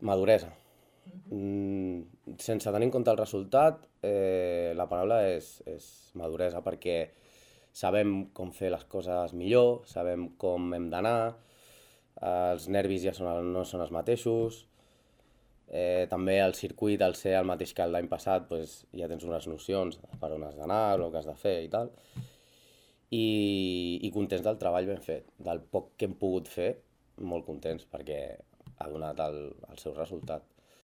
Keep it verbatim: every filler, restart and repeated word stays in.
Maduresa. Mm, sense tenir en compte el resultat, eh, la paraula és, és maduresa, perquè sabem com fer les coses millor, sabem com hem d'anar, eh, els nervis ja són, el- no són els mateixos, eh, també el circuit, al ser el mateix que l'any passat, pues, ja tens unes nocions per on has d'anar, el que has de fer i tal, i, i contents del treball ben fet, del poc que hem pogut fer, molt contents, perquè ha donat el, el seu resultat.